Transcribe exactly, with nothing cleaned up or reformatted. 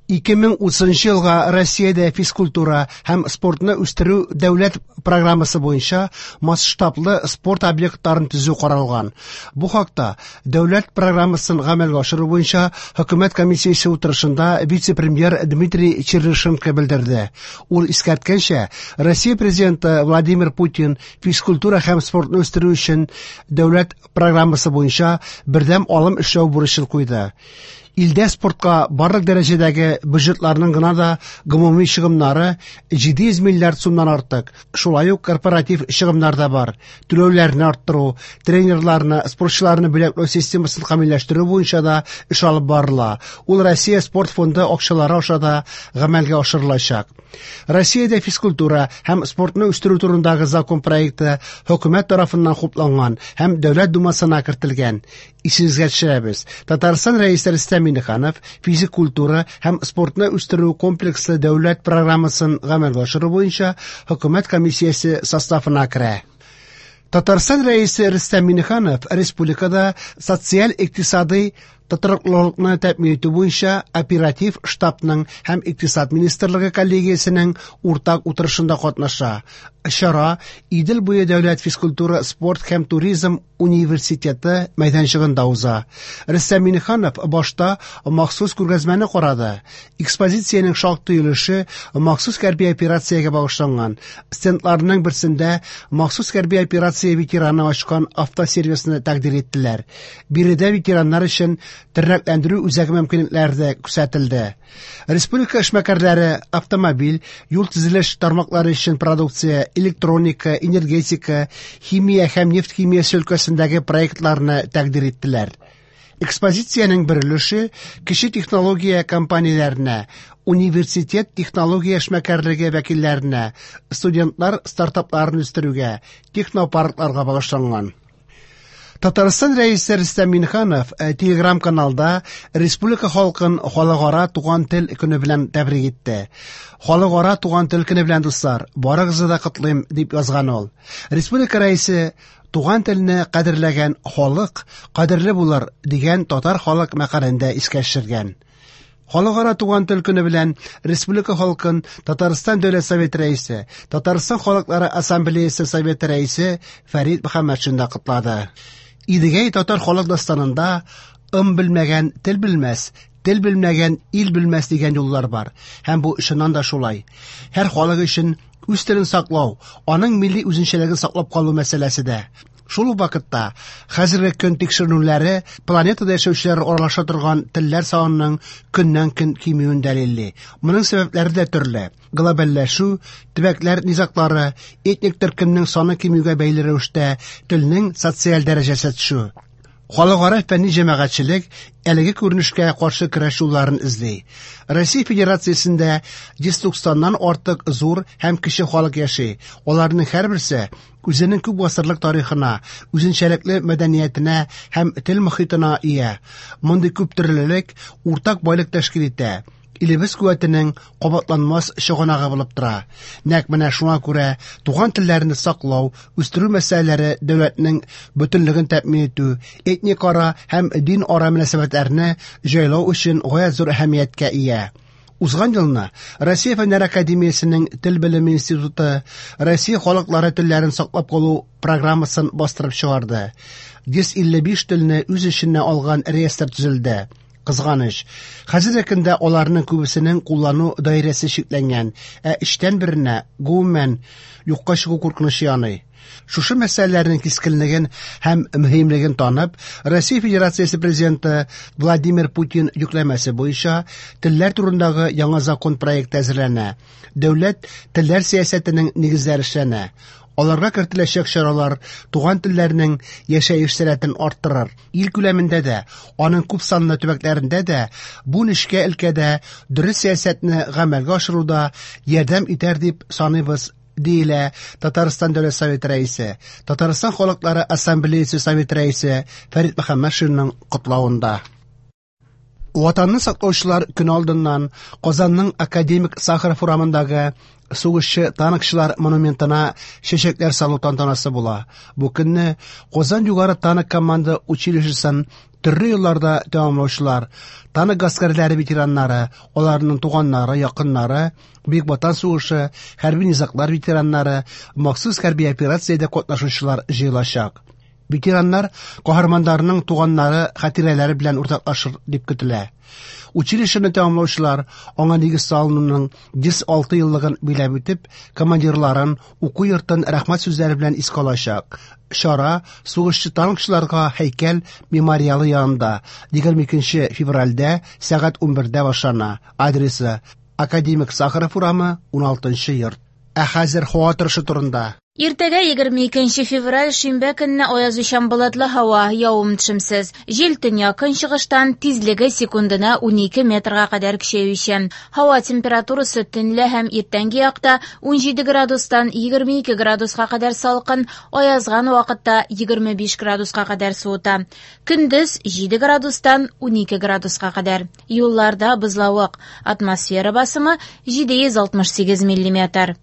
ике мең утызынчы елга Россиядә физкультура һәм спортны үстерү дәүләт программасы буенча масштаблы спорт объектларын төзү каралган. Бу хакта дәүләт программасын гамәлгә ашыру буенча хөкүмәт комиссиясе утырышында вице-премьер Дмитрий Чернышенко белдерде. Ул искәрткәнчә, Россия президенты Владимир Путин физкультура һәм спортны үстерү өчен дәүләт программасы буенча бердәм алым эшләү бурычын куйды. Илдә спортка барлык дәрәҗәдәге бюджетларның гына да гомуми чыгымнары җиде йөз миллиард сумнан артык. Шулай ук корпоратив чыгымнар да бар. Түләүләрне арттыру, тренерларны, спортчыларны бүләкләү системасын камилләштерү буенча да эш алып барыла. Ул Россия спорт фонды акчалары аша да гамәлгә ашырылачак. Россиядә физкультура һәм спортны үстерү турындагы закон проекты хөкүмәт тарафыннан хупланган һәм Дәүләт Думасына кертелгән. Исегезгә төшерәбез. Татарстан Рәисе Рөстәм Миңнеханов физик культура һәм спортны үстерү комплекслы дәүләт программасын гамәлгә ашыру буенча хөкүмәт комиссиясе составына керә. Татарстан Рәисе Рөстәм Миңнеханов республикада социаль-икътисадый тотрыклылыкны тәэмин итү буенча оператив штабның һәм икътисад министрлыгы коллегиясенең уртак утырышында катнаша. Чара Идел буе дәүләт физкультура, спорт һәм туризм университеты мәйданчыгында уза. Рөстәм Миңнеханов башта махсус күргәзмәне карады. Экспозициянең шактый өлеше махсус хәрби операциягә багышланган. Стендларның берсендә махсус хәрби операция ветераны ачкан автосервисны тәкъдир иттеләр. Биредә ветераннар өчен тернәкләндерү үзәге мөмкинлекләре дә күрсәтелде. Республика эшмәкәрләре автомобиль, юл төзелеш тармаклары өчен продукция, электроника, энергетика, химия һәм нефть химиясе өлкәсендәге проектларны тәкъдир иттеләр. Экспозициянең бер өлеше кече технология компанияләренә, университет технология эшмәкәрлеге вәкилләренә, студентлар стартапларын үстерүгә, технопаркларга багышланган. Татарстан Рәисе Рөстәм Миңнеханов, э, Телеграм-каналда республика халкын Халыкара туган тел көне белән тәбрик итте. Халыкара туган тел көне белән, дуслар, барыгызны да котлыйм, дип язган ул. Республика Рәисе туган телне кадерләгән халык кадерле булыр дигән татар халык мәкалендә искә төшергән. Халыкара туган тел көне белән республика халкын Татарстан Дәүләт Советы Рәисе, Татарстан Халыклары Ассамблеясы Советы Рәисе Фәрит Мөхәммәтшин дә котлады. Идегәй татар халык дастанында ым белмәгән тел белмәс, тел белмәгән ил белмәс дигән юллар бар. Һәм бу чыннан да шулай. Һәр халык өчен үз телен саклау, аның милли үзенчәлеген саклап калу мәсьәләсе дә. Шул ук вакытта хәзерге көн тикшеренүләре планетада яшәүчеләр аралаша торган телләр санының көннән-көн кимүен дәлилли. Моның сәбәпләре дә төрле. Глобальләшү, төбәкләр низаглары, этник төркемнең саны кимүгә бәйле рәвештә телнең социаль дәрәҗәсе төшү. Халыкара фәнни җәмәгатьчелек әлеге күренешкә каршы көрәш юлларын эзли. Россия Федерациясендә йөз туксаннан артык зур һәм кече халык яши. Аларның һәрберсе үзенең күп гасырлык тарихына, үзенчәлекле мәдәниятенә һәм тел мохитына ия. Мондый күп төрлелек уртак байлык тәшкил итә. Илебез куәтенең кабатланмас чыганагы булып тора. Нәкъ менә шуңа күрә туган телләрне саклау, үстерү мәсьәләләре дәүләтнең бөтенлеген тәэмин итү, этник ара һәм дин ара мөнәсәбәтләрне җайлау өчен гаять зур әһәмияткә ия. Узган елны Россия Фәннәр Академиясенең Тел белеме институты Россия халыклары телләрен саклап калу программасын бастырып чыгарды. Йөз илле биш телне үз эченә алган реестр төзелде. Кызганыч, хәзерге көндә аларның күбесенең куллану даирәсе чикләнгән, ә өчтән беренә гомумән юкка чыгу куркынычы яный. Шушы мәсьәләләрнең кискенлеген һәм мөһимлеген танып, Россия Федерациясе Президенты Владимир Путин йөкләмәсе буенча телләр турындагы яңа закон проекты әзерләнә. Дәүләт телләр сәясәтенең нигезләре эшләнә. Аларга кертеләчәк чаралар туган телләрнең яшәеш сәләтен арттырыр. Ил күләмендә дә, аның күп санлы төбәкләрендә дә бу нечкә өлкәдә дөрес сәясәтне гамәлгә ашыруда ярдәм итәр дип саныйбыз, диелә Татарстан Дәүләт Советы Рәисе, Татарстан Халыклары Ассамблеясы Советы Рәисе Фәрит Мөхәммәтшинның котлавында. Ватанны саклаучылар көн алдыннан Казанның академик Сахаров урамындагы сугышчы танкчылар монументына чәчәкләр салу тантанасы була. Бу көнне Казан югары танк команда училищесын төрле елларда тәмамлаучылар, танк гаскәрләре ветераннары, аларның туганнары, якыннары, Бөек Ватан сугышы, хәрби низаглар ветераннары, махсус хәрби операциядә катнашучылар җыелачак. Ветераннар каһарманнарның туганнары хатирәләре белән уртаклашыр дип көтелә. Училищены тәмамлаучылар аңа нигез салынуның йөз алты еллыгын биләп үтеп, командирларын, уку йортын рәхмәт сүзләре белән искә алачак. Чара сугышчы танкчыларга һәйкәл мемориалы янында егерме икенче февральдә сәгать унбердә башлана. Адресы: Академик Сахаров урамы, уналтынчы йорт. Ә хәзер һава торышы турында. Иртәгә егерме икенче февраль шимбә көнне аязучан болытлы һава, явым-төшемсез. Җил төньяк көнчыгыштан, тизлеге секундына унике метрга кадәр көчәючән. Һава температурасы төнлә һәм иртәнге якта унҗиде градустан егерме ике градуска кадәр салкын, аязган вакытта егерме биш градуска кадәр суыта. Көндез җиде градустан унике градуска кадәр. Юлларда бозлавык. Атмосфера басымы җиде йөз алтмыш сигез миллиметр.